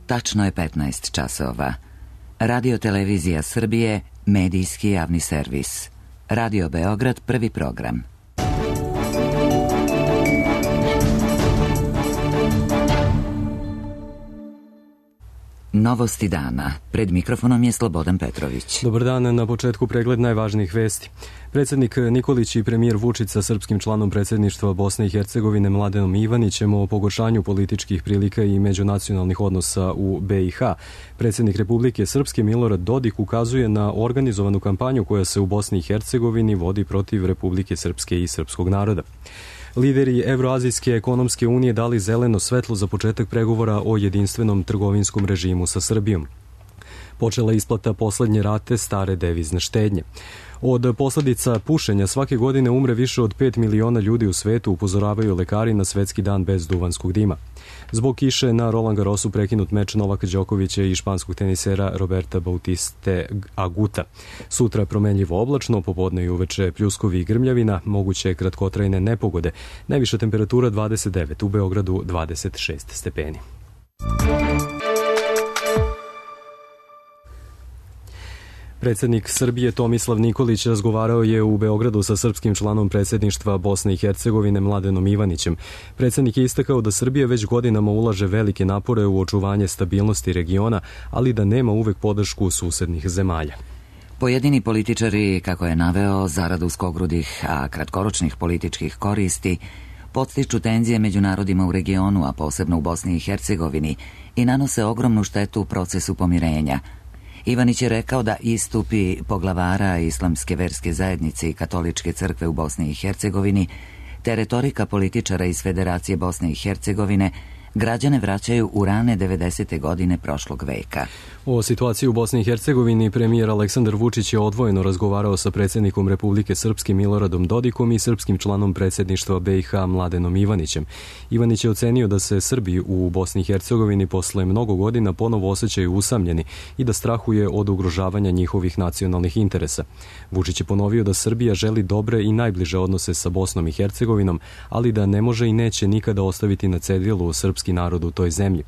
Tačno je 15 časova. Radio Televizija Srbije, medijski javni servis. Radio Beograd, prvi program. Novosti dana. Pred mikrofonom je Slobodan Petrović. Dobar dan, na početku pregled najvažnijih vesti. Predsjednik Nikolić i premijer Vučić sa srpskim članom predsjedništva Bosne i Hercegovine Mladenom Ivanićem o pogoršanju političkih prilika i međunacionalnih odnosa u BiH. Predsjednik Republike Srpske Milorad Dodik ukazuje na organizovanu kampanju koja se u Bosni i Hercegovini vodi protiv Republike Srpske i srpskog naroda. Lideri Evroazijske ekonomske unije dali zeleno svetlo za početak pregovora o jedinstvenom trgovinskom režimu sa Srbijom. Počela je isplata poslednje rate stare devizne štednje. Od posledica pušenja svake godine umre više od 5 miliona ljudi u svetu, upozoravaju lekari na svetski dan bez duvanskog dima. Zbog kiše na Roland Garrosu prekinut meč Novaka Đokovića i španskog tenisera Roberta Bautiste Aguta. Sutra promenljivo oblačno, popodne i uveče pljuskovi i grmljavina, moguće kratkotrajne nepogode. Najviša temperatura 29, u Beogradu 26 stepeni. Predsjednik Srbije Tomislav Nikolić razgovarao je u Beogradu sa srpskim članom predsjedništva Bosne i Hercegovine Mladenom Ivanićem. Predsjednik je istakao da Srbija već godinama ulaže velike napore u očuvanje stabilnosti regiona, ali da nema uvek podršku susednih zemalja. Pojedini političari, kako je naveo, zarad uskogrudih, a kratkoročnih političkih koristi, podstiču tenzije među narodima u regionu, a posebno u Bosni i Hercegovini, i nanose ogromnu štetu u procesu pomirenja. Ivanić je rekao da istupi poglavara Islamske verske zajednice i Katoličke crkve u Bosni i Hercegovini te retorika političara iz Federacije Bosne i Hercegovine građane vraćaju u rane 90. godine prošlog veka. O situaciji u Bosni i Hercegovini premijer Aleksandar Vučić je odvojeno razgovarao sa predsjednikom Republike Srpske Miloradom Dodikom i srpskim članom predsjedništva BiH Mladenom Ivanićem. Ivanić je ocenio da se Srbi u Bosni i Hercegovini posle mnogo godina ponovo osjećaju usamljeni i da strahuje od ugrožavanja njihovih nacionalnih interesa. Vučić je ponovio da Srbija želi dobre i najbliže odnose sa Bosnom i Hercegovinom, ali da ne može i neće nikada ostaviti na cedilu srpski narod u toj zemlji.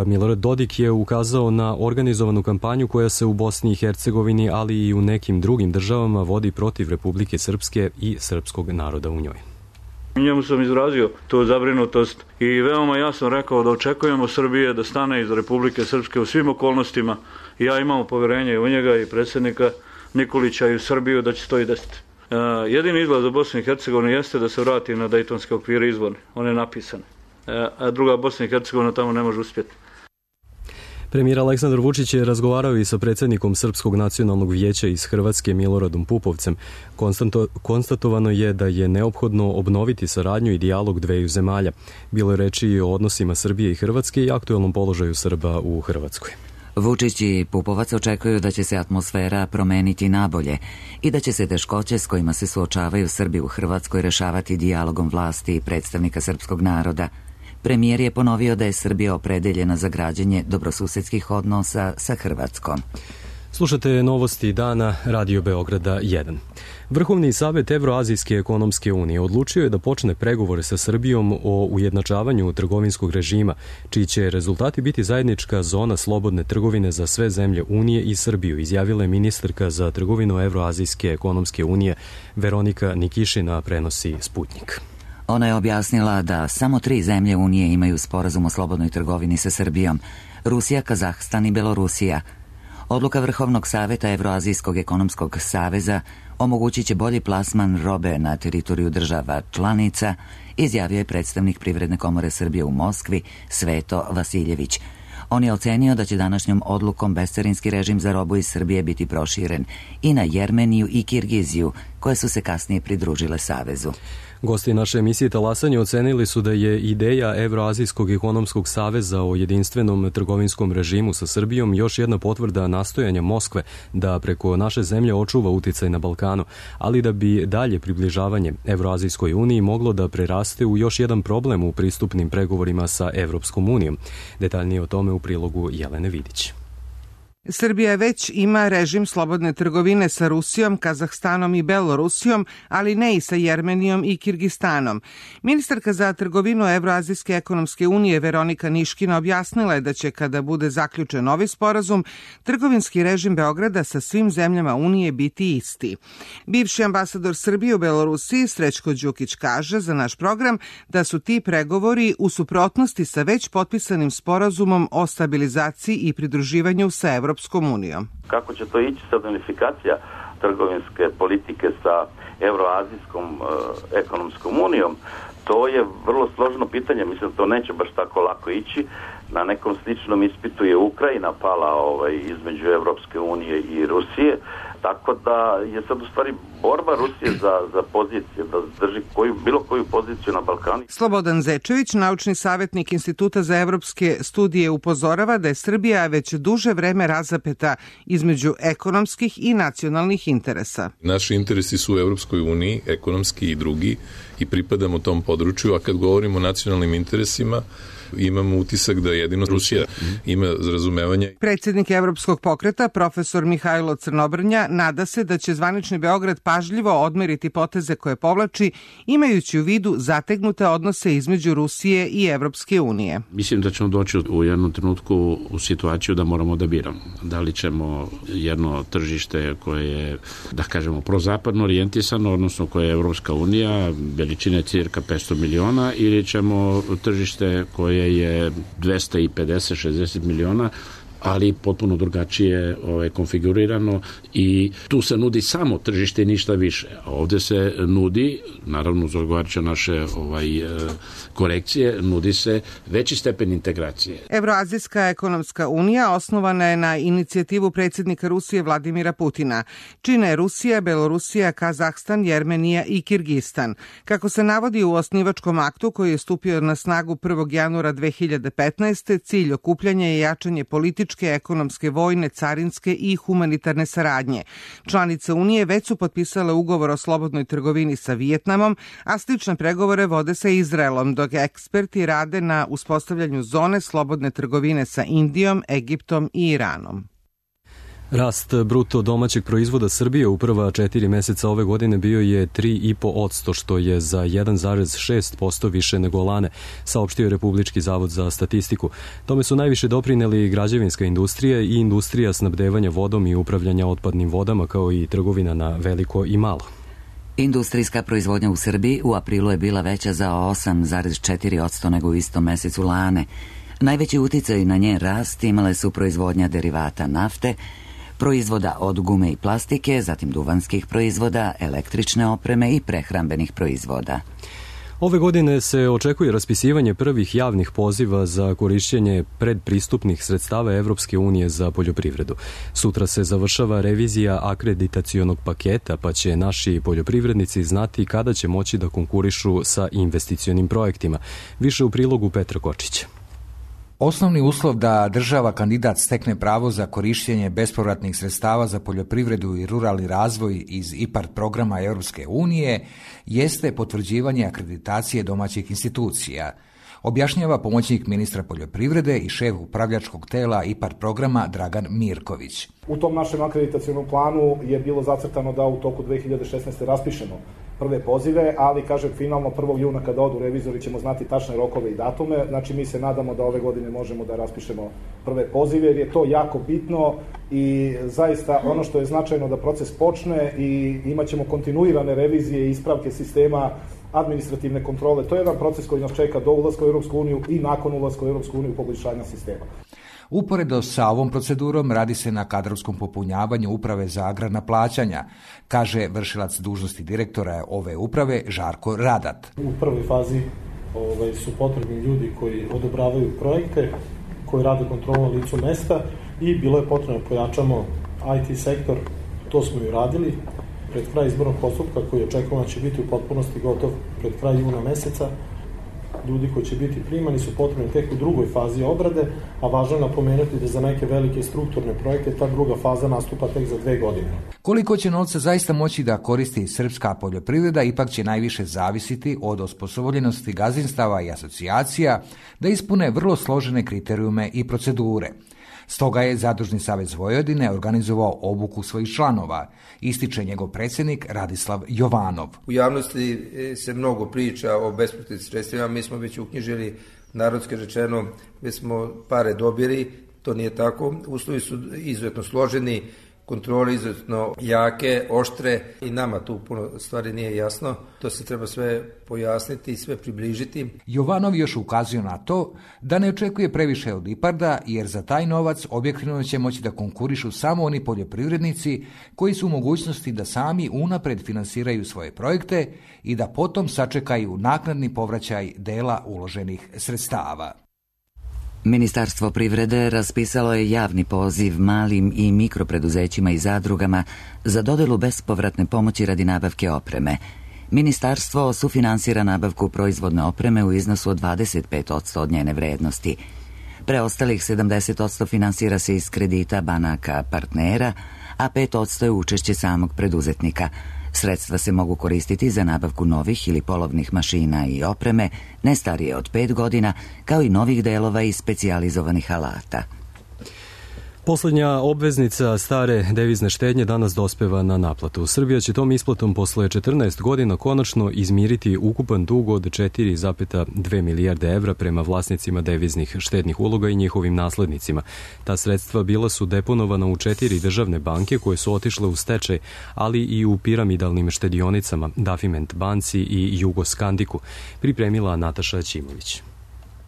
Milorad Dodik je ukazao na organizovanu kampanju koja se u Bosni i Hercegovini, ali i u nekim drugim državama vodi protiv Republike Srpske i srpskog naroda u njoj. Njemu sam izrazio tu zabrinutost i veoma jasno rekao da očekujemo Srbije da stane iz Republike Srpske u svim okolnostima. Ja imam poverenje i u njega i predsjednika Nikolića i u Srbiju da će to i desiti. Jedini izlaz za Bosnu i Hercegovinu jeste da se vrati na Dejtonske okvire izborne. On je napisan. A druga Bosna i Hercegovina tamo ne može uspjeti. Premijer Aleksandar Vučić je razgovarao i sa predsjednikom Srpskog nacionalnog vijeća iz Hrvatske Miloradom Pupovcem. Konstatovano je da je neophodno obnoviti saradnju i dijalog dveju zemalja. Bilo je reči i o odnosima Srbije i Hrvatske i aktuelnom položaju Srba u Hrvatskoj. Vučić i Pupovac očekuju da će se atmosfera promeniti nabolje i da će se teškoće s kojima se suočavaju Srbi u Hrvatskoj rešavati dijalogom vlasti i predstavnika srpskog naroda. Premijer je ponovio da je Srbija opredeljena za građenje dobrosusedskih odnosa sa Hrvatskom. Slušate novosti dana Radio Beograda 1. Vrhovni savet Evroazijske ekonomske unije odlučio je da počne pregovore sa Srbijom o ujednačavanju trgovinskog režima, čiji će rezultati biti zajednička zona slobodne trgovine za sve zemlje Unije i Srbiju, izjavila je ministarka za trgovinu Evroazijske ekonomske unije Veronika Nikišina, prenosi Sputnik. Ona je objasnila da samo 3 zemlje Unije imaju sporazum o slobodnoj trgovini sa Srbijom: Rusija, Kazahstan i Belorusija. Odluka Vrhovnog saveta Evroazijskog ekonomskog saveza omogućit će bolji plasman robe na teritoriju država članica, izjavio je predstavnik Privredne komore Srbije u Moskvi Sveto Vasiljević. On je ocenio da će današnjom odlukom bescarinski režim za robu iz Srbije biti proširen i na Jermeniju i Kirgiziju, koje su se kasnije pridružile savezu. Gosti naše emisije Talasanje ocenili su da je ideja Evroazijskog ekonomskog saveza o jedinstvenom trgovinskom režimu sa Srbijom još jedna potvrda nastojanja Moskve da preko naše zemlje očuva uticaj na Balkanu, ali da bi dalje približavanje Evroazijskoj uniji moglo da preraste u još jedan problem u pristupnim pregovorima sa Evropskom unijom. Detaljnije o tome u prilogu Jelene Vidić. Srbija već ima režim slobodne trgovine sa Rusijom, Kazahstanom i Belorusijom, ali ne i sa Jermenijom i Kirgistanom. Ministarka za trgovinu Evroazijske ekonomske unije Veronika Niškina objasnila je da će, kada bude zaključen novi sporazum, trgovinski režim Beograda sa svim zemljama Unije biti isti. Bivši ambasador Srbije u Belorusiji Srećko Đukić kaže za naš program da su ti pregovori u suprotnosti sa već potpisanim sporazumom o stabilizaciji i pridruživanju sa Evropskom unijom. Kako će to ići sad unifikacija trgovinske politike sa Evroazijskom ekonomskom unijom, to je vrlo složeno pitanje. Mislim da to neće baš tako lako ići. Na nekom sličnom ispitu je Ukrajina pala između Evropske unije i Rusije, tako da je sad u stvari borba Rusije za pozicije, da drži bilo koju poziciju na Balkanu. Slobodan Zečević, naučni savjetnik Instituta za evropske studije, upozorava da je Srbija već duže vreme razapeta između ekonomskih i nacionalnih interesa. Naši interesi su u Evropskoj uniji, ekonomski i drugi, i pripadamo tom području, a kad govorimo o nacionalnim interesima, imamo utisak da jedino Rusija ima razumevanje. Predsjednik Evropskog pokreta, profesor Mihajlo Crnobrnja, nada se da će zvanični Beograd pažljivo odmeriti poteze koje povlači, imajući u vidu zategnute odnose između Rusije i Evropske unije. Mislim da ćemo doći u jednom trenutku u situaciju da moramo da biramo. Da li ćemo jedno tržište koje je, da kažemo, prozapadno orijentisano, odnosno koje je Evropska unija, veličine cirka 500 miliona, ili ćemo tržište koje je 250-60 miliona, ali potpuno drugačije konfigurirano, i tu se nudi samo tržište i ništa više. A ovde se nudi, naravno uz odgovarajuće naše korekcije, nudi se veći stepen integracije. Evroazijska ekonomska unija osnovana je na inicijativu predsjednika Rusije Vladimira Putina. Čine Rusija, Belorusija, Kazahstan, Jermenija i Kirgistan. Kako se navodi u osnivačkom aktu koji je stupio na snagu 1. januara 2015. cilj okupljanja je jačanje političke, ekonomske, vojne, carinske i humanitarne saradnje. Članice Unije već su potpisale ugovor o slobodnoj trgovini sa Vijetnamom, a slične pregovore vode sa Izraelom, dok eksperti rade na uspostavljanju zone slobodne trgovine sa Indijom, Egiptom i Iranom. Rast bruto domaćeg proizvoda Srbije u prva 4 meseca ove godine bio je 3,5%, što je za 1,6% više nego lane, saopštio je Republički zavod za statistiku. Tome su najviše doprineli građevinska industrija i industrija snabdevanja vodom i upravljanja otpadnim vodama, kao i trgovina na veliko i malo. Industrijska proizvodnja u Srbiji u aprilu je bila veća za 8,4% nego u istom mesecu lane. Najveći uticaj na njen rast imale su proizvodnja derivata nafte, proizvoda od gume i plastike, zatim duvanskih proizvoda, električne opreme i prehrambenih proizvoda. Ove godine se očekuje raspisivanje prvih javnih poziva za korišćenje predpristupnih sredstava Evropske unije za poljoprivredu. Sutra se završava revizija akreditacionog paketa, pa će naši poljoprivrednici znati kada će moći da konkurišu sa investicionim projektima. Više u prilogu Petra Kočića. Osnovni uslov da država kandidat stekne pravo za korišćenje bespovratnih sredstava za poljoprivredu i ruralni razvoj iz IPARD programa Europske unije jeste potvrđivanje akreditacije domaćih institucija, objašnjava pomoćnik ministra poljoprivrede i šef upravljačkog tela IPARD programa Dragan Mirković. U tom našem akreditacionom planu je bilo zacrtano da u toku 2016. raspišemo prve pozive, ali kažem finalno 1. juna kada odu revizori ćemo znati tačne rokove i datume, znači mi se nadamo da ove godine možemo da raspišemo prve pozive jer je to jako bitno i zaista ono što je značajno da proces počne i imat ćemo kontinuirane revizije i ispravke sistema administrativne kontrole. To je jedan proces koji nas čeka do ulaska u Europsku uniju i nakon ulaska u Europsku uniju u poboljšanju sistema. Uporedo sa ovom procedurom radi se na kadrovskom popunjavanju Uprave za agrarna plaćanja, kaže vršilac dužnosti direktora ove uprave Žarko Radat. U prvoj fazi su potrebni ljudi koji odobravaju projekte, koji rade kontrolu na licu mesta i bilo je potrebno pojačamo IT sektor, to smo i radili. Pred kraj izbornog postupka koji očekujemo će biti u potpunosti gotov pred kraj juna meseca, ljudi koji će biti primani su potrebni tek u drugoj fazi obrade, a važno je napomenuti da za neke velike strukturne projekte ta druga faza nastupa tek za 2 godine. Koliko će novca zaista moći da koristi srpska poljoprivreda ipak će najviše zavisiti od osposobljenosti gazdinstava i asocijacija da ispune vrlo složene kriterijume i procedure. Stoga je Zadružni savez Vojvodine organizovao obuku svojih članova, ističe njegov predsjednik Radislav Jovanov. U javnosti se mnogo priča o bespovratnim sredstvima, mi smo već uknjižili, narodski rečeno, već smo pare dobili, to nije tako, uslovi su izuzetno složeni, kontrole izuzetno jake, oštre i nama tu puno stvari nije jasno. To se treba sve pojasniti i sve približiti. Jovanov još ukazuje na to da ne očekuje previše od IPARD-a jer za taj novac objektivno će moći da konkurišu samo oni poljoprivrednici koji su u mogućnosti da sami unapred finansiraju svoje projekte i da potom sačekaju naknadni povraćaj dela uloženih sredstava. Ministarstvo privrede raspisalo je javni poziv malim i mikropreduzećima i zadrugama za dodelu bespovratne pomoći radi nabavke opreme. Ministarstvo sufinansira nabavku proizvodne opreme u iznosu od 25% od njene vrednosti. Preostalih 70% finansira se iz kredita banaka partnera, a 5% je učešće samog preduzetnika. Sredstva se mogu koristiti za nabavku novih ili polovnih mašina i opreme, ne starije od 5 godina, kao i novih delova i specijalizovanih alata. Posljednja obveznica stare devizne štednje danas dospeva na naplatu. Srbija će tom isplatom posle 14 godina konačno izmiriti ukupan dug od 4,2 milijarde evra prema vlasnicima deviznih štednih uloga i njihovim naslednicima. Ta sredstva bila su deponovana u 4 državne banke koje su otišle u stečaj, ali i u piramidalnim štedionicama Dafiment banci i Jugoskandiku, pripremila Nataša Ćimović.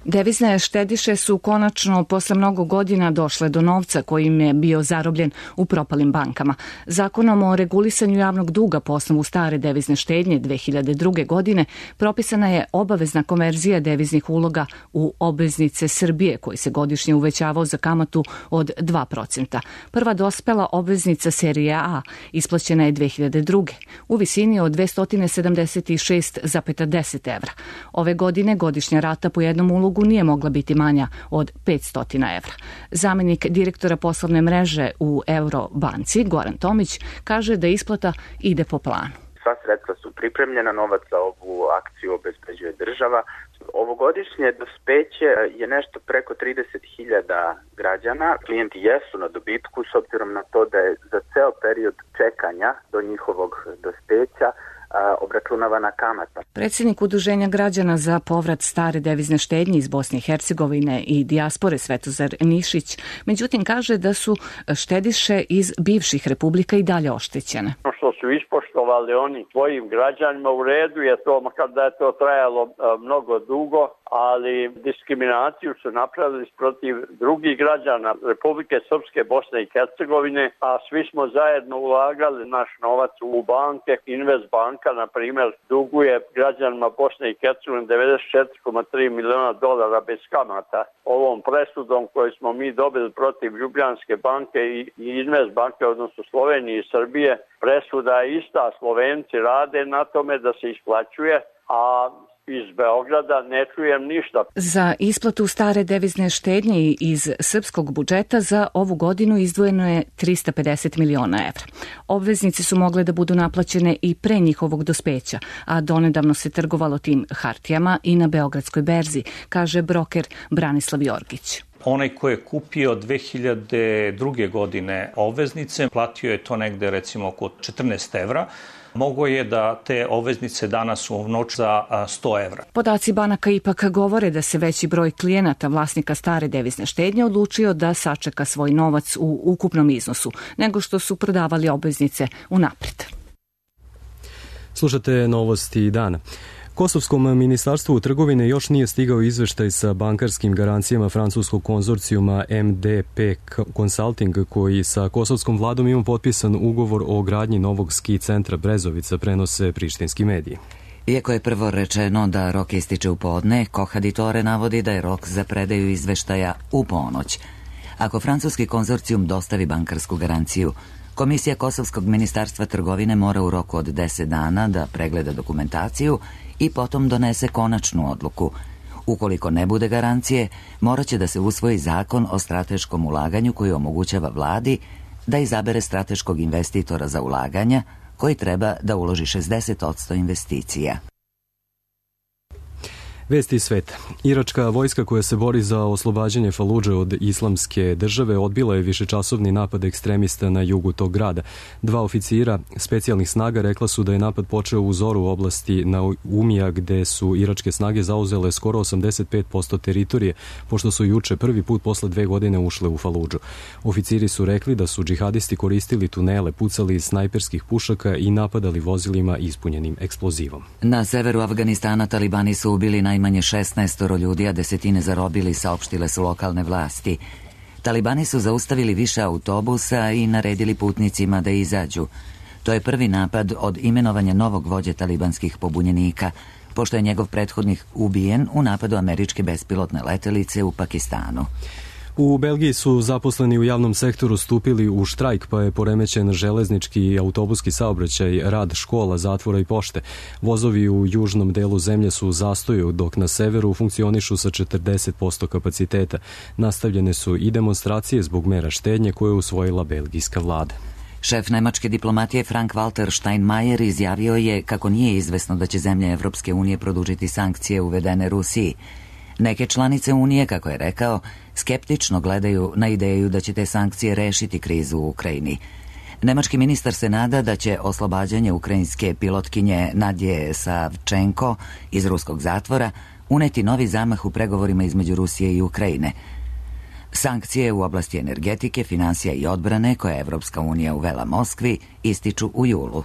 Devizne štediše su konačno posle mnogo godina došle do novca kojim je bio zarobljen u propalim bankama. Zakonom o regulisanju javnog duga po osnovu stare devizne štednje 2002. godine propisana je obavezna konverzija deviznih uloga u obveznice Srbije koji se godišnje uvećavao za kamatu od 2%. Prva dospela obveznica serije A isplaćena je 2002. u visini od 276,10 evra. Ove godine godišnja rata po jednom ulogu nije mogla biti manja od 500 evra. Zamjenik direktora poslovne mreže u Eurobanci, Goran Tomić, kaže da isplata ide po planu. Sva sredstva su pripremljena, novac za ovu akciju obezbeđuje država. Ovogodišnje dospeće je nešto preko 30.000 građana. Klijenti jesu na dobitku s obzirom na to da je za ceo period čekanja do njihovog dospeća obračunavana kamata. Predsjednik Udruženja građana za povrat stare devizne štednje iz Bosne i Hercegovine i dijaspore Svetozar Nišić, međutim kaže da su štediše iz bivših republika i dalje oštećene. Što su ispoštovali oni svojim građanima u redu je to, makar da je to trajalo mnogo dugo, ali diskriminaciju su napravili protiv drugih građana Republike Srpske, Bosne i Hercegovine, a svi smo zajedno ulagali naš novac u banke. Invest banka, na primjer, duguje građanima Bosne i Hercegovine $94,3 miliona bez kamata. Ovom presudom koju smo mi dobili protiv Ljubljanske banke i Invest banke, odnosno Slovenije i Srbije, presuda je ista. Slovenci rade na tome da se isplaćuje, a iz Beograda ne čujem ništa. Za isplatu stare devizne štednje iz srpskog budžeta za ovu godinu izdvojeno je 350 miliona evra. Obveznice su mogle da budu naplaćene i pre njihovog dospeća, a donedavno se trgovalo tim hartijama i na Beogradskoj berzi, kaže broker Branislav Jorgić. Onaj ko je kupio 2002. godine obveznice, platio je to negde recimo oko 14 evra. Mogo je da te obveznice danas unovči za 100 evra. Podaci banaka ipak govore da se veći broj klijenata vlasnika stare devizne štednje odlučio da sačeka svoj novac u ukupnom iznosu, nego što su prodavali obveznice unapred. Slušate novosti dana. Kosovskom ministarstvu trgovine još nije stigao izveštaj sa bankarskim garancijama francuskog konzorcijuma MDP Consulting, koji sa kosovskom vladom ima potpisan ugovor o gradnji novog ski centra Brezovica, prenose prištinski mediji. Iako je prvo rečeno da rok ističe u podne, Kohaditore navodi da je rok za predaju izveštaja u ponoć. Ako francuski konzorcijum dostavi bankarsku garanciju, Komisija Kosovskog ministarstva trgovine mora u roku od 10 dana da pregleda dokumentaciju i potom donese konačnu odluku. Ukoliko ne bude garancije, morat će da se usvoji zakon o strateškom ulaganju koji omogućava vladi da izabere strateškog investitora za ulaganja koji treba da uloži 60% investicija. Vesti iz sveta. Iračka vojska koja se bori za oslobađanje Faludže od islamske države odbila je višečasovni napad ekstremista na jugu tog grada. 2 oficira specijalnih snaga rekla su da je napad počeo u Zoru u oblasti Naumija gde su iračke snage zauzele skoro 85% teritorije, pošto su juče prvi put posle 2 godine ušle u Faludžu. Oficiri su rekli da su džihadisti koristili tunele, pucali iz snajperskih pušaka i napadali vozilima ispunjenim eksplozivom. Na severu Afganistana talibani su ubili najmanje 16 ljudi, a desetine zarobili, saopštile su lokalne vlasti. Talibani su zaustavili više autobusa i naredili putnicima da izađu. To je prvi napad od imenovanja novog vođe talibanskih pobunjenika, pošto je njegov prethodnik ubijen u napadu američke bespilotne letelice u Pakistanu. U Belgiji su zaposleni u javnom sektoru stupili u štrajk, pa je poremećen železnički i autobuski saobraćaj, rad škola, zatvora i pošte. Vozovi u južnom delu zemlje su u zastoju, dok na severu funkcionišu sa 40% kapaciteta. Nastavljene su i demonstracije zbog mera štednje koje je usvojila belgijska vlada. Šef nemačke diplomatije Frank-Walter Steinmeier izjavio je kako nije izvesno da će zemlje Evropske unije produžiti sankcije uvedene Rusiji. Neke članice Unije, kako je rekao, skeptično gledaju na ideju da će te sankcije rešiti krizu u Ukrajini. Nemački ministar se nada da će oslobađanje ukrajinske pilotkinje Nadje Savčenko iz ruskog zatvora uneti novi zamah u pregovorima između Rusije i Ukrajine. Sankcije u oblasti energetike, finansija i odbrane koje je Evropska unija uvela Moskvi ističu u julu.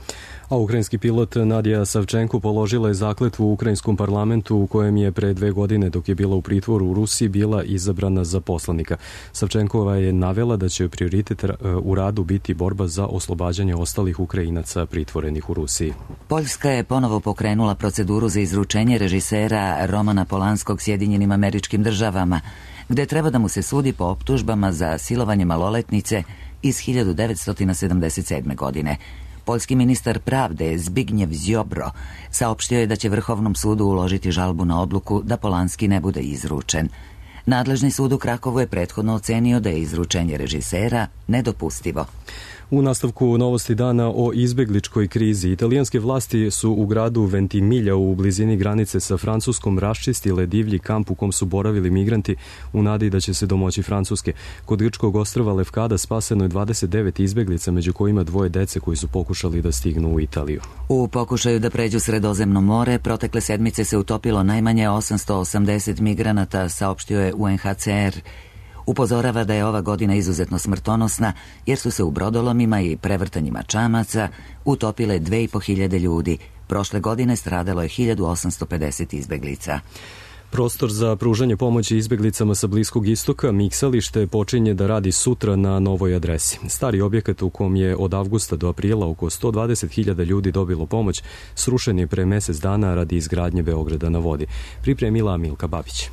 A ukrajinski pilot Nadja Savčenko položila je zakletvu u ukrajinskom parlamentu u kojem je pre 2 godine dok je bila u pritvoru u Rusiji bila izabrana za poslanika. Savčenkova je navela da će prioritet u radu biti borba za oslobađanje ostalih Ukrajinaca pritvorenih u Rusiji. Poljska je ponovo pokrenula proceduru za izručenje režisera Romana Polanskog Sjedinjenim Američkim Državama, gde treba da mu se sudi po optužbama za silovanje maloletnice iz 1977. godine. Poljski ministar pravde Zbigniew Ziobro saopštio je da će Vrhovnom sudu uložiti žalbu na odluku da Polanski ne bude izručen. Nadležni sud u Krakovu je prethodno ocenio da je izručenje režisera nedopustivo. U nastavku novosti dana o izbegličkoj krizi, italijanske vlasti su u gradu Ventimiglia u blizini granice sa Francuskom raščistile divlji kamp u kom su boravili migranti u nadi da će se domoći Francuske. Kod grčkog ostrva Lefkada spaseno je 29 izbeglica, među kojima 2 dece koji su pokušali da stignu u Italiju. U pokušaju da pređu Sredozemno more, protekle sedmice se utopilo najmanje 880 migranata, saopštio je UNHCR. Upozorava da je ova godina izuzetno smrtonosna jer su se u brodolomima i prevrtanjima čamaca utopile 2500 ljudi. Prošle godine stradalo je 1850 izbeglica. Prostor za pružanje pomoći izbeglicama sa Bliskog istoka, Miksalište, počinje da radi sutra na novoj adresi. Stari objekat u kom je od avgusta do aprila oko 120.000 ljudi dobilo pomoć, srušen je pre mesec dana radi izgradnje Beograda na vodi. Pripremila Milka Babić.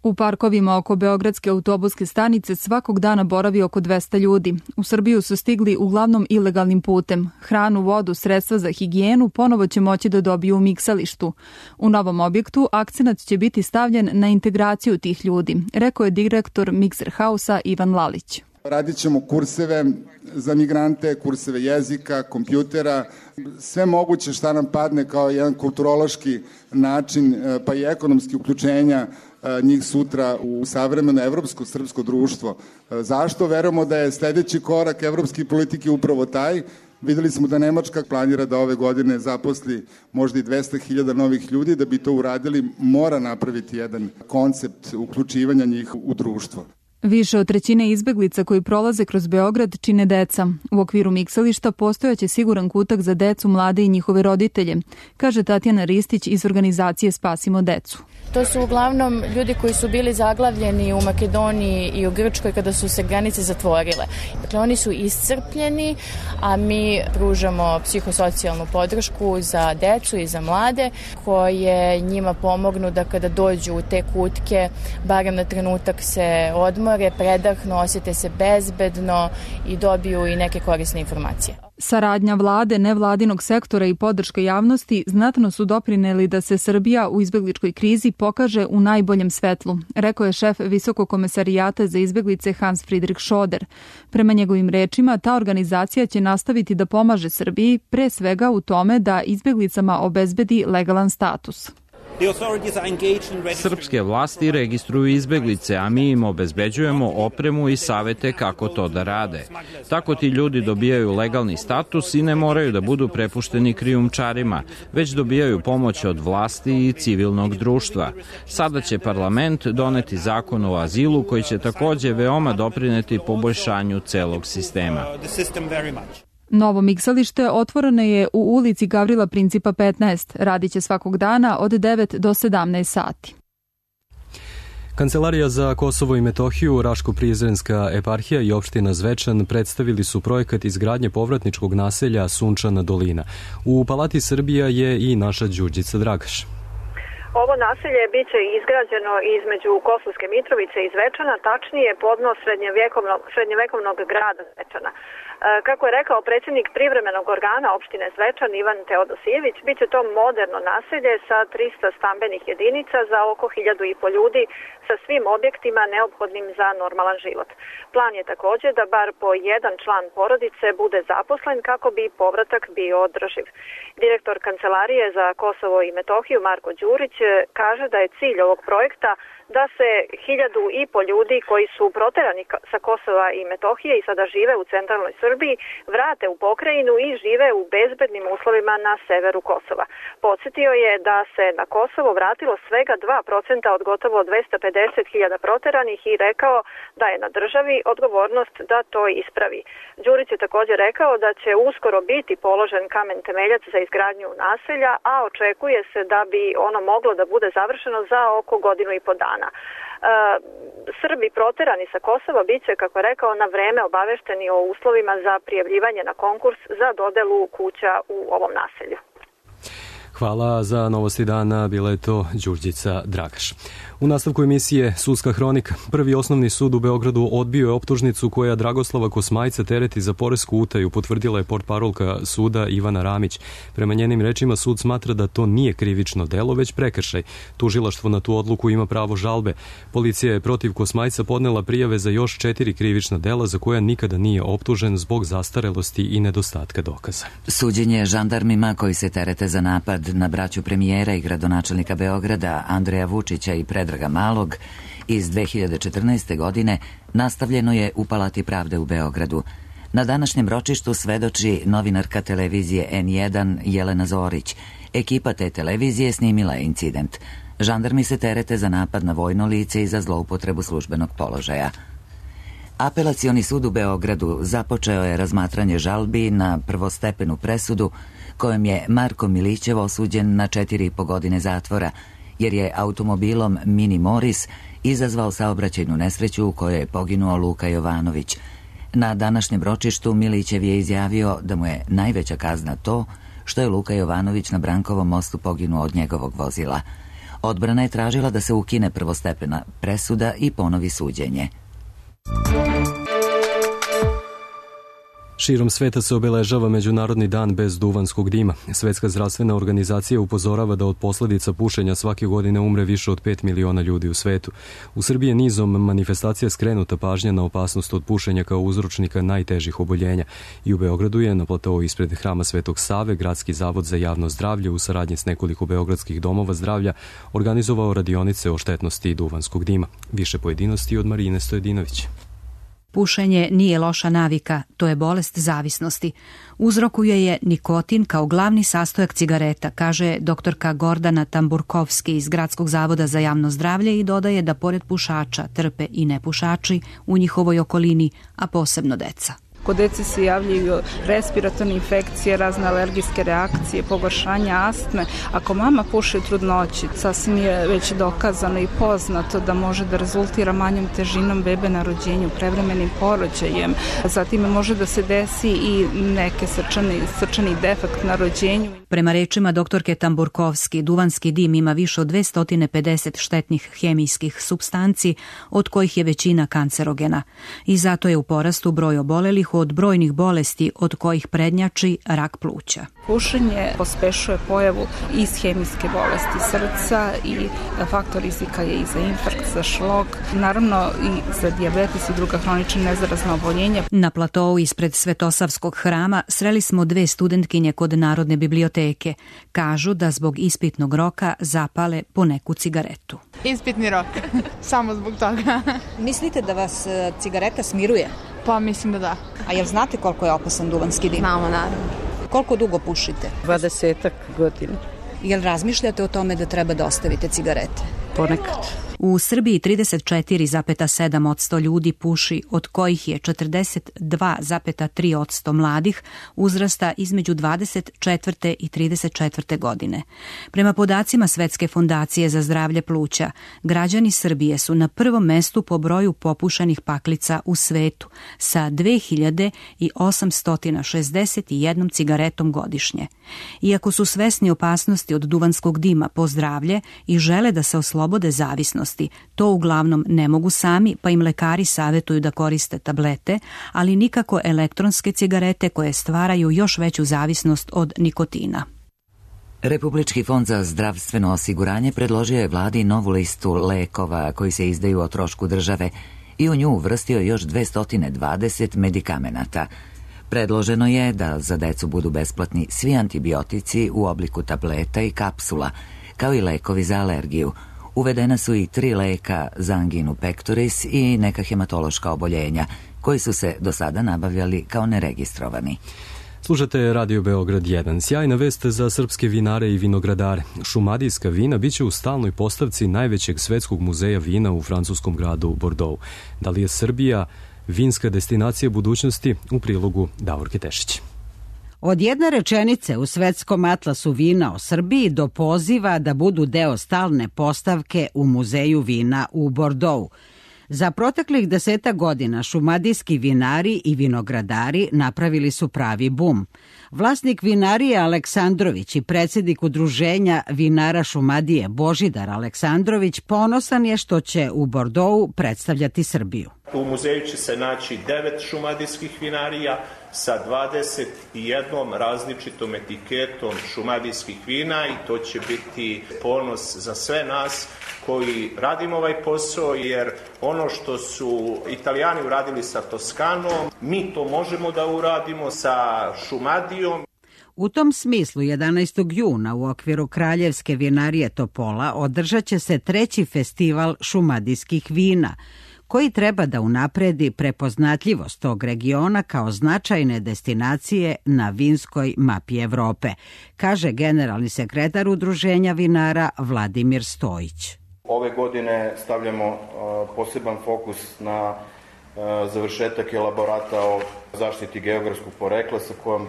U parkovima oko Beogradske autobuske stanice svakog dana boravi oko 200 ljudi. U Srbiju su stigli uglavnom ilegalnim putem. Hranu, vodu, sredstva za higijenu ponovo će moći da dobiju u Miksalištu. U novom objektu akcenat će biti stavljen na integraciju tih ljudi, rekao je direktor Mikser Hausa Ivan Lalić. Radit ćemo kurseve za migrante, kurseve jezika, kompjutera, sve moguće šta nam padne kao jedan kulturološki način, pa i ekonomski uključenja njih sutra u savremeno evropsko srpsko društvo. Zašto? Verujemo da je sledeći korak evropske politike upravo taj. Videli smo da Nemačka planira da ove godine zaposli možda i 200.000 novih ljudi. Da bi to uradili, mora napraviti jedan koncept uključivanja njih u društvo. Više od trećine izbeglica koji prolaze kroz Beograd čine deca. U okviru Miksališta postojaće siguran kutak za decu, mlade i njihove roditelje, kaže Tatjana Ristić iz organizacije Spasimo decu. To su uglavnom ljudi koji su bili zaglavljeni u Makedoniji i u Grčkoj kada su se granice zatvorile. Dakle, oni su iscrpljeni, a mi pružamo psihosocijalnu podršku za decu i za mlade koje njima pomognu da kada dođu u te kutke, barem na trenutak se odmore, predahnu, osjete se bezbedno i dobiju i neke korisne informacije. Saradnja vlade, nevladinog sektora i podrška javnosti znatno su doprineli da se Srbija u izbegličkoj krizi pokaže u najboljem svetlu, rekao je šef Visokog komesarijata za izbeglice Hans Friedrich Schoder. Prema njegovim rečima, ta organizacija će nastaviti da pomaže Srbiji, pre svega u tome da izbeglicama obezbedi legalan status. Srpske vlasti registruju izbeglice, a mi im obezbeđujemo opremu i savete kako to da rade. Tako ti ljudi dobijaju legalni status i ne moraju da budu prepušteni krijumčarima, već dobijaju pomoć od vlasti i civilnog društva. Sada će parlament doneti zakon o azilu koji će takođe veoma doprineti poboljšanju celog sistema. Novo miksalište otvoreno je u ulici Gavrila Principa 15. Radiće svakog dana od 9 do 17 sati. Kancelarija za Kosovo i Metohiju, Raško-Prizrenska eparhija i opština Zvečan predstavili su projekat izgradnje povratničkog naselja Sunčana dolina. U Palati Srbija je i naša Đurđica Dragaš. Ovo naselje biće izgrađeno između Kosovske Mitrovice i Zvečana, tačnije podno srednjevekovnog grada Zvečana. Kako je rekao predsjednik privremenog organa opštine Zvečan Ivan Teodosijević, bit će to moderno naselje sa 300 stambenih jedinica za oko 1.500 ljudi sa svim objektima neophodnim za normalan život. Plan je također da bar po jedan član porodice bude zaposlen kako bi povratak bio održiv. Direktor Kancelarije za Kosovo i Metohiju Marko Đurić kaže da je cilj ovog projekta da se 1.500 ljudi koji su proterani sa Kosova i Metohije i sada žive u centralnoj Srbiji vrate u pokrajinu i žive u bezbednim uslovima na severu Kosova. Podsjetio je da se na Kosovo vratilo svega 2% od gotovo 250.000 proteranih i rekao da je na državi odgovornost da to ispravi. Đurić je također rekao da će uskoro biti položen kamen temeljac za izgradnju naselja, a očekuje se da bi ono moglo da bude završeno za oko godinu i po dana. Srbi proterani sa Kosova bit će, kako je rekao, na vreme obavešteni o uslovima za prijavljivanje na konkurs za dodelu kuća u ovom naselju. Hvala za novosti dana, bila je to Đurđica Dragaš. U nastavku emisije Sudska hronika. Prvi osnovni sud u Beogradu odbio je optužnicu koja Dragoslava Kosmajca tereti za poresku utaju, potvrdila je portparolka suda Ivana Ramić. Prema njenim rečima sud smatra da to nije krivično delo, već prekršaj. Tužilaštvo na tu odluku ima pravo žalbe. Policija je protiv Kosmajca podnela prijave za još 4 krivična dela za koja nikada nije optužen zbog zastarelosti i nedostatka dokaza. Suđenje žandarmima koji se terete za napad na braću premijera i gradonačelnika Beograda Andreja Vučića i Predraga Malog iz 2014. godine nastavljeno je u Palati pravde u Beogradu. Na današnjem ročištu svedoči novinarka televizije N1 Jelena Zorić. Ekipa te televizije snimila je incident. Žandarmi se terete za napad na vojno lice i za zloupotrebu službenog položaja. Apelacioni sud u Beogradu započeo je razmatranje žalbi na prvostepenu presudu kojom je Marko Milićev osuđen na 4,5 godine zatvora, jer je automobilom Mini Moris izazvao saobraćajnu nesreću u kojoj je poginuo Luka Jovanović. Na današnjem ročištu Milićev je izjavio da mu je najveća kazna to što je Luka Jovanović na Brankovom mostu poginuo od njegovog vozila. Odbrana je tražila da se ukine prvostepena presuda i ponovi suđenje. Širom sveta se obeležava Međunarodni dan bez duvanskog dima. Svetska zdravstvena organizacija upozorava da od posljedica pušenja svake godine umre više od 5 miliona ljudi u svetu. U Srbiji je nizom manifestacija skrenuta pažnja na opasnost od pušenja kao uzročnika najtežih oboljenja. I u Beogradu je na platou ispred Hrama Svetog Save Gradski zavod za javno zdravlje u saradnji s nekoliko beogradskih domova zdravlja organizovao radionice o štetnosti duvanskog dima. Više pojedinosti od Marine Stojedinović. Pušenje nije loša navika, to je bolest zavisnosti. Uzrokuje je nikotin kao glavni sastojak cigareta, kaže doktorka Gordana Tamburkovski iz Gradskog zavoda za javno zdravlje i dodaje da pored pušača trpe i nepušači u njihovoj okolini, a posebno deca. Kod dece se javljaju respiratorne infekcije, razne alergijske reakcije, pogoršanja astme. Ako mama puši u trudnoći, sasvim je već dokazano i poznato da može da rezultira manjom težinom bebe na rođenju, prevremenim porođajem. Zatim može da se desi i neke srčani defekt na rođenju. Prema rečima doktorke Tamburkovski, duvanski dim ima više od 250 štetnih hemijskih supstanci, od kojih je većina kancerogena. I zato je u porastu broj obolelih od brojnih bolesti od kojih prednjači rak pluća. Pušenje pospešuje pojavu ishemijske bolesti srca i faktor rizika je i za infarkt, za šlog, naravno i za dijabetes i druga hronična nezarazna oboljenja. Na platou ispred Svetosavskog hrama sreli smo 2 studentkinje kod Narodne biblioteke. Kažu da zbog ispitnog roka zapale po neku cigaretu. Ispitni rok, samo zbog toga. Mislite da vas cigareta smiruje? Pa mislim da da. A jel znate koliko je opasan duvanski dim? Znamo, naravno. Koliko dugo pušite? 20 godina. Jel razmišljate o tome da treba da ostavite cigarete? Ponekad. U Srbiji 34,7% ljudi puši, od kojih je 42,3% mladih uzrasta između 24. i 34. godine. Prema podacima Svetske fondacije za zdravlje pluća, građani Srbije su na prvom mestu po broju popušenih paklica u svetu sa 2861 cigaretom godišnje. Iako su svesni opasnosti od duvanskog dima po zdravlje i žele da se oslobode zavisnosti, to uglavnom ne mogu sami, pa im lekari savjetuju da koriste tablete, ali nikako elektronske cigarete koje stvaraju još veću zavisnost od nikotina. Republički fond za zdravstveno osiguranje predložio je vladi novu listu lekova koji se izdaju o trošku države i u nju uvrstio još 220 medikamenata. Predloženo je da za decu budu besplatni svi antibiotici u obliku tableta i kapsula, kao i lekovi za alergiju. Uvedena su i 3 leka za anginu pectoris i neka hematološka oboljenja, koji su se do sada nabavljali kao neregistrovani. Slušate Radio Beograd 1. Sjajna vest za srpske vinare i vinogradare. Šumadijska vina biće u stalnoj postavci najvećeg svetskog muzeja vina u francuskom gradu Bordeaux. Da li je Srbija vinska destinacija budućnosti? U prilogu Davorke Tešić. Od jedne rečenice u Svetskom atlasu vina o Srbiji do poziva da budu deo stalne postavke u Muzeju vina u Bordeaux. Za proteklih 10 godina šumadijski vinari i vinogradari napravili su pravi bum. Vlasnik vinarije Aleksandrović i predsjednik udruženja vinara Šumadije Božidar Aleksandrović ponosan je što će u Bordeauxu predstavljati Srbiju. U muzeju će se naći 9 šumadijskih vinarija sa 21 različitom etiketom šumadijskih vina i to će biti ponos za sve nas koji radimo ovaj posao, jer ono što su Italijani uradili sa Toskanom, mi to možemo da uradimo sa Šumadijom. U tom smislu 11. juna u okviru Kraljevske vinarije Topola održat će se 3. festival šumadijskih vina, koji treba da unapredi prepoznatljivost tog regiona kao značajne destinacije na vinskoj mapi Evrope, kaže generalni sekretar Udruženja vinara Vladimir Stojić. Ove godine stavljamo poseban fokus na završetak elaborata o zaštiti geografskog porekla sa kojom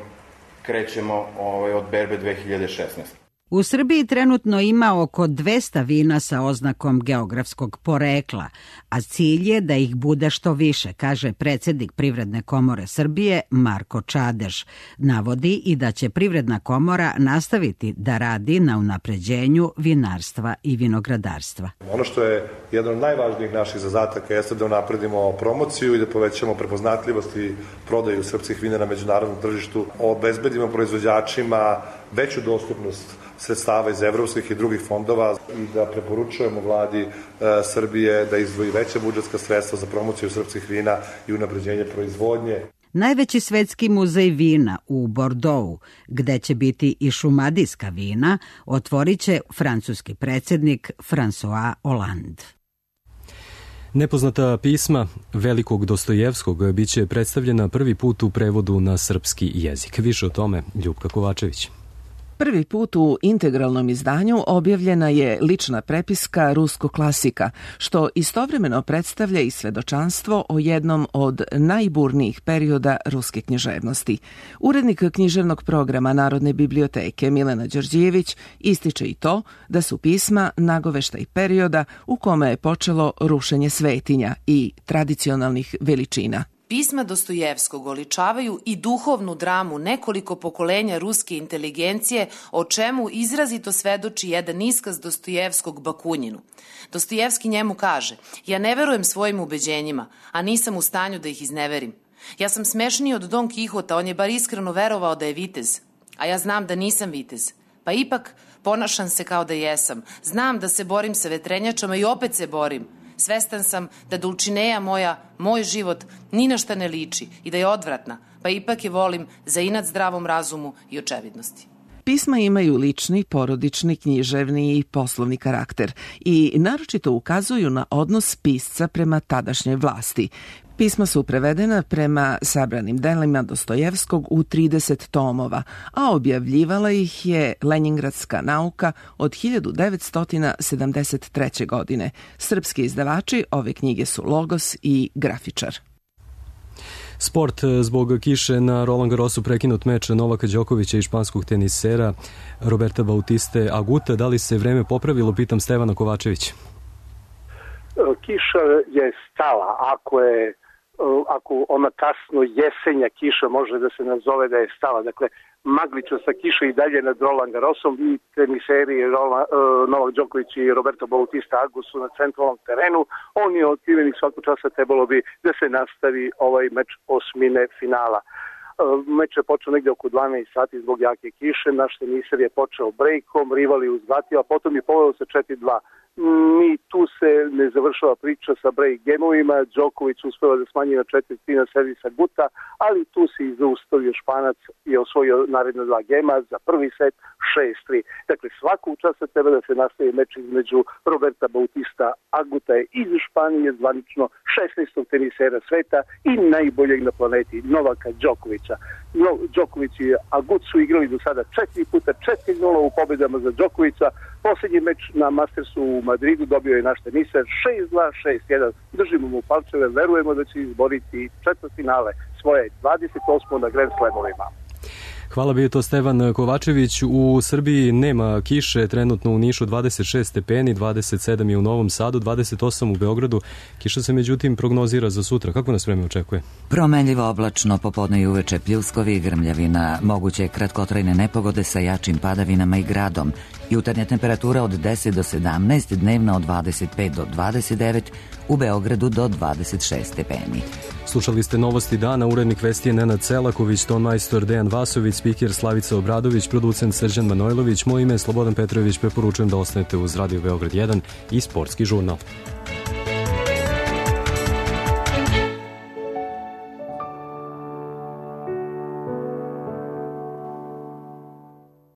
krećemo od berbe 2016. U Srbiji trenutno ima oko 200 vina sa oznakom geografskog porekla, a cilj je da ih bude što više, kaže predsjednik Privredne komore Srbije Marko Čadež. Navodi i da će Privredna komora nastaviti da radi na unapređenju vinarstva i vinogradarstva. Ono što je jedan od najvažnijih naših zadataka jeste da unapredimo promociju i da povećamo prepoznatljivost i prodaju srpskih vina na međunarodnom tržištu, obezbedimo proizvođačima veću dostupnost sredstava iz evropskih i drugih fondova i da preporučujemo vladi Srbije da izdvoji veća budžetska sredstva za promociju srpskih vina i unapređenje proizvodnje. Najveći svetski muzej vina u Bordeauxu, gde će biti i šumadijska vina, otvorit će francuski predsjednik François Hollande. Nepoznata pisma velikog Dostojevskog biće predstavljena prvi put u prevodu na srpski jezik. Više o tome Ljupka Kovačević. Prvi put u integralnom izdanju objavljena je lična prepiska ruskog klasika, što istovremeno predstavlja i svedočanstvo o jednom od najburnijih perioda ruske književnosti. Urednik književnog programa Narodne biblioteke Milena Đorđijević ističe i to da su pisma nagoveštaj perioda u kome je počelo rušenje svetinja i tradicionalnih veličina. Pisma Dostojevskog oličavaju i duhovnu dramu nekoliko pokolenja ruske inteligencije, o čemu izrazito svedoči jedan iskaz Dostojevskog Bakunjinu. Dostojevski njemu kaže: "Ja ne verujem svojim ubeđenjima, a nisam u stanju da ih izneverim. Ja sam smešniji od Don Kihota, on je bar iskreno verovao da je vitez, a ja znam da nisam vitez. Pa ipak ponašam se kao da jesam. Znam da se borim sa vetrenjačama i opet se borim. Svestan sam da Dulcineja moja, moj život, ni na šta ne liči i da je odvratna, pa ipak je volim za inat zdravom razumu i očevidnosti. Pisma imaju lični, porodični, književni i poslovni karakter i naročito ukazuju na odnos pisca prema tadašnjoj vlasti. Pisma su prevedena prema sabranim delima Dostojevskog u 30 tomova, a objavljivala ih je Lenjingradska nauka od 1973. godine. Srpski izdavači ove knjige su Logos i Grafičar. Sport, zbog kiše na Roland Garrosu prekinut meč Novaka Đokovića i španskog tenisera Roberta Bautiste Aguta. Da li se vreme popravilo, pitam Stevana Kovačevića. Kiša je stala, ako ona kasno jesenja kiša može da se nazove da je stala. Dakle, magličasta kiša i dalje nad Roland Garrosom i teniseri Novak Đoković i Roberto Bautista Agut su na centralnom terenu. On je otkriven i svakog časa trebalo bi da se nastavi ovaj meč osmine finala. Meč je počeo negde oko 12 sati zbog jake kiše. Naš teniser je počeo brejkom, rival je uzvratio, a potom je poveo sa 4-2. Ni tu se ne završava priča sa break gemovima. Đoković uspeva da smanji na 4-3 na servisa Guta, ali tu se i zaustavio Španac i osvojio naredna 2 gema za prvi set 6-3. Dakle, svakog časa treba da se nastavi meč između Roberta Bautista Aguta iz Španije, zvanično 16. tenisera sveta i najboljeg na planeti Novaka Đokovića. Đoković i Agut su igrali do sada 4 puta 4-0 u pobedama za Đokovića. Poslednji meč na Mastersu u Madridu dobio je naš teniser 6-2, 6-1. Držimo mu palčeve, verujemo da će izboriti četvrtfinale svoje 28. na Grand Slamovima. Hvala, bio to Stevan Kovačević. U Srbiji nema kiše, trenutno u Nišu 26 stepeni, 27 je u Novom Sadu, 28 u Beogradu. Kiša se međutim prognozira za sutra. Kako nas vreme očekuje? Promenljivo oblačno, popodne i uveče pljuskovi i grmljavina, moguće kratkotrajne nepogode sa jačim padavinama i gradom. Jutarnja temperatura od 10 do 17, dnevna od 25 do 29, u Beogradu do 26 stepeni. Slušali ste Novosti dana, urednik vesti je Nenad Selaković, ton majstor Dejan Vasović, spiker Slavica Obradović, producent Srđan Manojlović, moje ime je Slobodan Petrović, preporučujem da ostanete uz Radio Beograd 1 i Sportski žurnal.